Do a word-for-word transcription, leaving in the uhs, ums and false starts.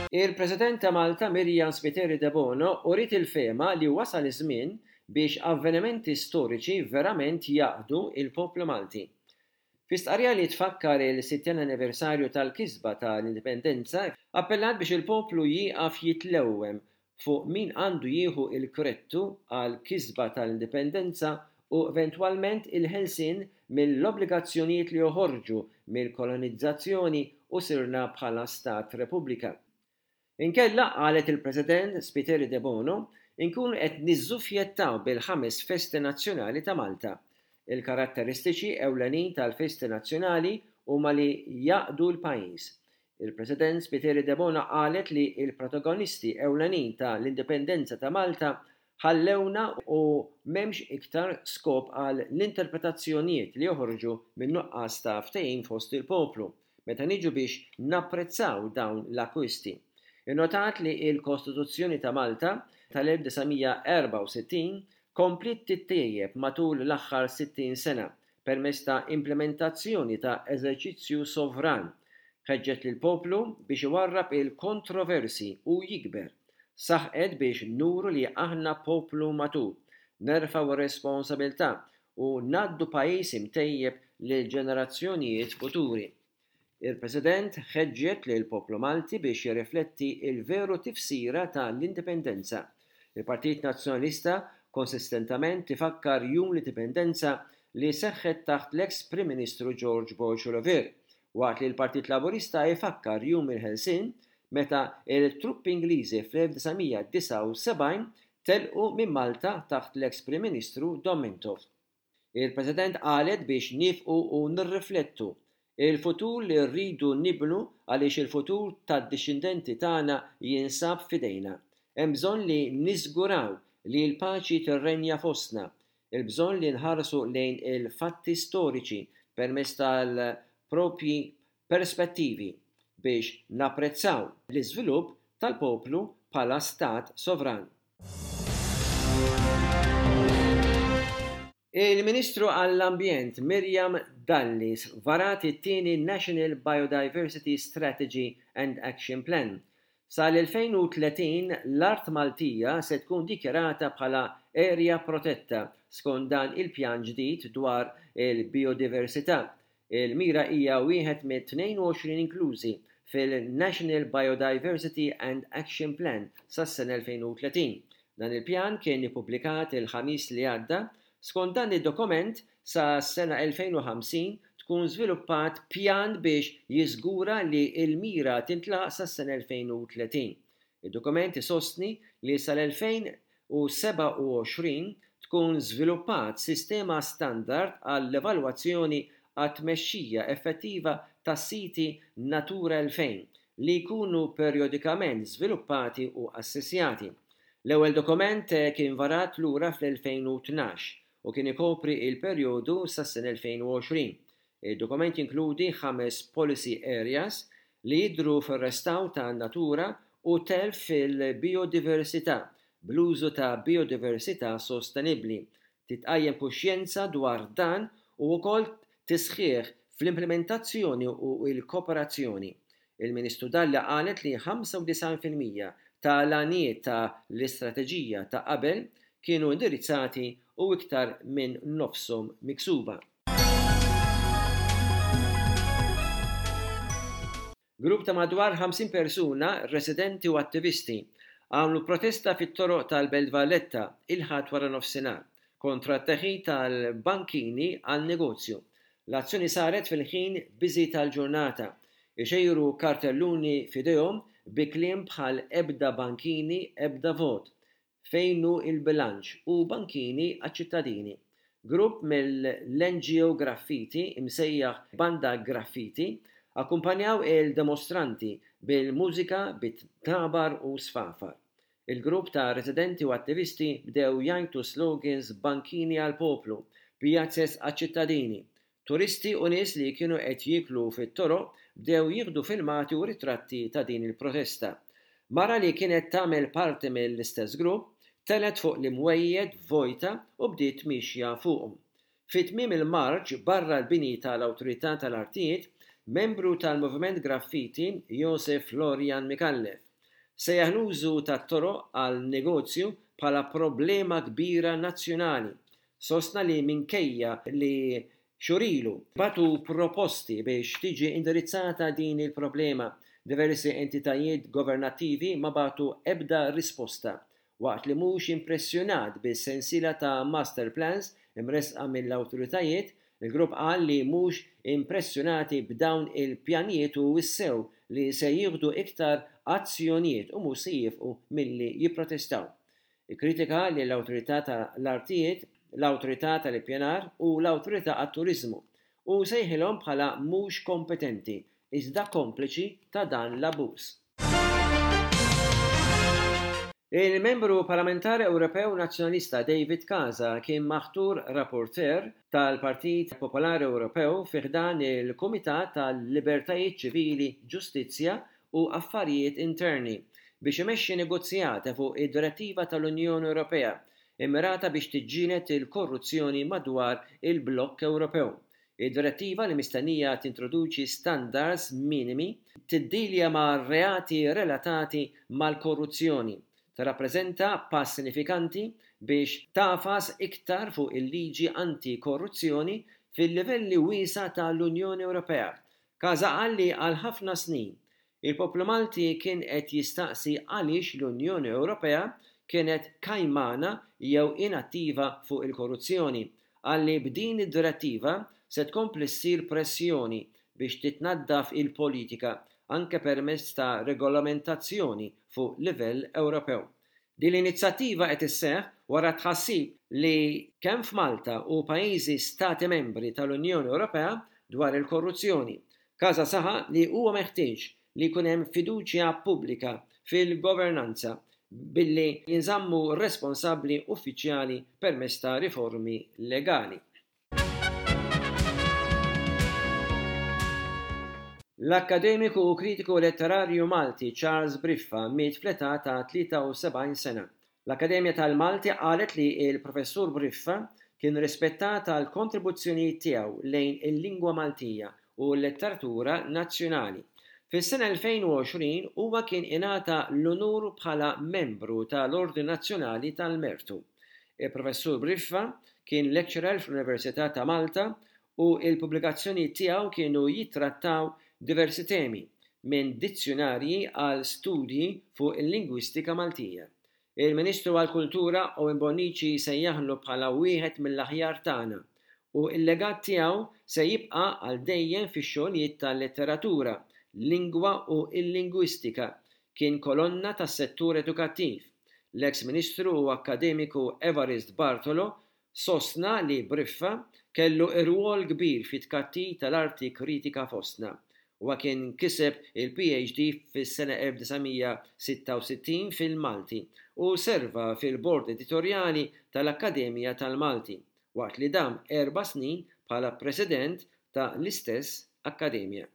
Il-President ta' Malta Myriam Spiteri Debono uriet il-fehma li wasal iż-żmien biex avvenimenti storiċi verament jgħaqqdu il-poplu Malti. Fi stqarrija li tfakkar il-sittin anniversarju tal-kisba tal-Indipendenza, appellat biex il-poplu jieqaf jitlewwem fuq min għandu jieħu il-kredtu għal kisba tal-Indipendenza u eventwalment il-ħelsien mill-obbligazzjonijiet li joħorġu mill-kolonizzazzjoni u sirna bħala Stat Repubblika. Inkella, qalet il-President Spiteri Debono, inkunu qed niżżuffjettaw bil-ħames festi nazzjonali ta' Malta. Il-karatteristiċi ewlenin tal-festi nazzjonali huma li jgħaqqdu l-pajjiż. Il-President Spiteri Debono qalet li il-protagonisti ewlenin tal-Indipendenza ta' Malta ħallewna u m'hemmx iktar skop għal l-interpretazzjonijiet li joħorġu minn nuqqas ta' ftehim fost il-poplu meta niġu biex napprezzaw dawn l-akkwisti. Innotat li il-Kostituzzjoni ta' Malta tal-elf disa' mija erbgħa u sittin kompliet tittejjeb matul l-aħħar sittin sena permezz ta' implementazzjoni ta' eżerċizzju sovran. Ħeġġet lil poplu biex iwarrab il-kontroversi u jikber. Saħqet biex nuru li aħna poplu matur, nerfgħu r-responsabilità u ngħaddu pajjiż imtejjeb lil ġenerazzjonijiet futuri. Il-President ħeġġet lil poplu Malti biex jirrifletti il-veru tifsira tal-Indipendenza. Il-Partit Nazzjonalista konsistentament ifakkar Jum l-Indipendenza li seħħet taħt l-ex Prim Ministru George Borg Olivier, waqt li l-Partit Laburista ifakkar Jum il-Ħelsien meta il-truppi Ingliżi fl-elf disa' mija disgħa u sebgħin telqu minn Malta taħt l-ex Prim Ministru Dom Mintoff. Il-President qalet biex nifqu u nirriflettu il-futur li rridu nibnu għaliex il-futur tad-dixxendenti tagħna jinsab f'idejna. Hemm bżonn li niżguraw li l-paċi tirrenja fostna, il-bżonn li nħarsu lejn il-fatti storiċi permezz tal-propji perspettivi biex napprezzaw l-iżvilupp tal-poplu bħala stat sovran. Il-Ministru għall-Ambjent Miriam Dalli varat it-tieni National Biodiversity Strategy and Action Plan. Sal-elfejn u tletin l-art Maltija se tkun dikjarata bħala area protetta skont dan il-pjan ġdid dwar il-biodiversità. Il-mira hija wieħed mit-tnejn u għoxrin inklużi fil-National Biodiversity and Action Plan sas-sena elfejn u tletin. Dan il-pjan kien ippubblikat il-Ħamis li għadda. Skont dan id-dokument, sa sena elfejn u ħamsin tkun żviluppat pjan biex jiżgura li l-mira tintlaq sa sena elfejn u tletin. Id-dokument isostni li sal-elfejn u sebgħa u għoxrin tkun żviluppat sistema standard għall-evalwazzjoni għat-tmexxija effettiva tas-siti Natura elfejn li jkunu perjodikament żviluppati u assessjati. L-ewwel dokument kien varat lura fl-elfejn u tnax u kien ikopri il-perjodu sas-sena elfejn u għoxrin. Il-dokument jinkludi ħames policy areas li jidhru fir-restawr ta' natura u telf fil-biodiversità bl-użu ta' biodiversità sostenibbli. Titqajjem kuxjenza dwar dan u wkoll tisħiħ fl-implementazzjoni u l-kooperazzjoni. Il-Ministru Dalli qalet li ħamsa u disgħin fil-mija tal-għanijiet ta' l-istrateġija ta' qabel kienu indirizzati u iktar minn nofshom miksuba. Grupp ta' madwar ħamsin persuna, residenti u attivisti, għamlu protesta fit-toroq tal-Belt Valletta il-Ħadd wara nofsinhar kontra t-teħid tal-bankini għal negozju. L-azzjoni saret fil-ħin biżi tal-ġurnata, ixejru kartelluni f'idejhom bi kliem bħal ebda bankini, ebda vot, fejn hu il-bilanċ u bankini għaċ-ċittadini. Grupp mill-N G O Graffiti imsejjaħ Banda Graffiti akkumpanjaw il-demostranti bil-mużika bit-tabar u sfafar. Il-grupp ta' residenti u attivisti bdew jgħajtu slogans bankini għal-poplu, pjazzez għaċ-ċittadini. Turisti u nies li kienu qed jieklu fit-toroq bdew jieħdu filmati u ritratti ta' din il-protesta. Mara li kienet tagħmel parti mill-istess grupp telgħet fuq l-imwejjed vojta u bdiet mixja fuqhom. Fi tmiem il-marċ barra l-bini tal-Awtorità tal-Artijiet, membru tal-Moviment Graffiti Josef Florian Micallef Sejjaħ l-użu tat-toroq għal negozju bħala problema kbira nazzjonali. Sostna li minkejja li xhur ilu bagħtu proposti biex tiġi indirizzata din il-problema, diversi entitajiet governattivi ma bagħtu ebda risposta. Waqt li mhux impressjonat bis-sensiela ta' master plans imressqa mill-awtoritajiet, il-grupp qal li mhux impressjonati b'dawn il-pjanijiet u wissew li se jieħdu iktar azzjonijiet u mhux se jieqfu milli jipprotestaw. Ikkritika lill-Awtorità tal-Artijiet, l-Awtorità tal-Ippjanar u l-Awtorità għat-Turiżmu u sejħilhom bħala mhux kompetenti iżda kompliċi ta' dan l-abbuż. Il-membru parlamentari Ewropew Nazzjonalista David Casa kien maħtur rapporteur tal-Partit Popolari Ewropew fi ħdan il-Kumitat tal-Libertajiet Ċivili, Ġustizzja u Affarijiet Interni biex imexxi negozjati fuq id-Direttiva tal-Unjoni Ewropea immirata biex tiġġieled il-korruzzjoni madwar il-blokk Ewropew. Id-direttiva, li mistennija tintroduċi standards minimi, tiddilja ma' reati relatati mal-korruzzjoni. Tirrappreżenta pass sinifikanti biex tagħfas iktar fuq il-liġi anti-korruzzjoni fil-livelli wiesgħa tal-Unjoni Ewropea. Casa qal li għal ħafna snin il-poplu Malti kien qed jistaqsi għaliex l-Unjoni Ewropea kienet kajmana jew inattiva fuq il-korruzzjoni. Qal li b'din id-direttiva se tkompli ssir pressjoni biex titnaddaf il-politika anke permezz ta' regolamentazzjoni fuq livell Ewropew. Din l-inizjattiva qed isseħħ wara tħassib li kemm f'Malta u pajjiżi stati membri tal-Unjoni Ewropea dwar il-korruzzjoni. Casa saħaq li huwa meħtieġ li jkun hemm fiduċja pubblika fil-governanza billi jinżammu responsabbli uffiċjali permezz ta' riformi legali. L-akkademiku u kritiku letterarju Malti Charles Briffa miet fl-età ta' tlieta u sebgħin sena. L-Akkademja tal-Malti qalet li l-Professur Briffa kien rispettat għal kontribuzzjonijiet tiegħu lejn il-lingwa Maltija u l-letteratura nazzjonali. Fis-sena elfejn u għoxrin huwa kien ingħata l-unur bħala membru tal-Ordni Nazzjonali tal-Mertu. Il-Professur Briffa kien lecturer fl-Università ta' Malta u l-pubblikazzjonijiet tiegħu kienu jittrattaw diversi temi, minn dizzjunarji għal studji fuq il-lingwistika Maltija. Il-Ministru għall-Kultura Owen Bonnici sejjaħlu bħala wieħed mill-aħjar tagħna u l-legat tiegħu se jibqa' għal dejjem fix-xogħlijiet tal-letteratura, lingwa u l-lingwistika. Kien kolonna tas-settur edukattiv. L-eks Ministru u akkademiku Evarist Bartolo sostna li Briffa kellu rwol kbir fit-tkattir tal-arti kritika fostna. Huwa kien kiseb il-P H D fis-sena elf disa' mija sitta u sittin fil-Malti u serva fil-bord editorjali tal-Akkademja tal-Malti, waqt li dam erba' snin bħala president ta' l-istess akkademja.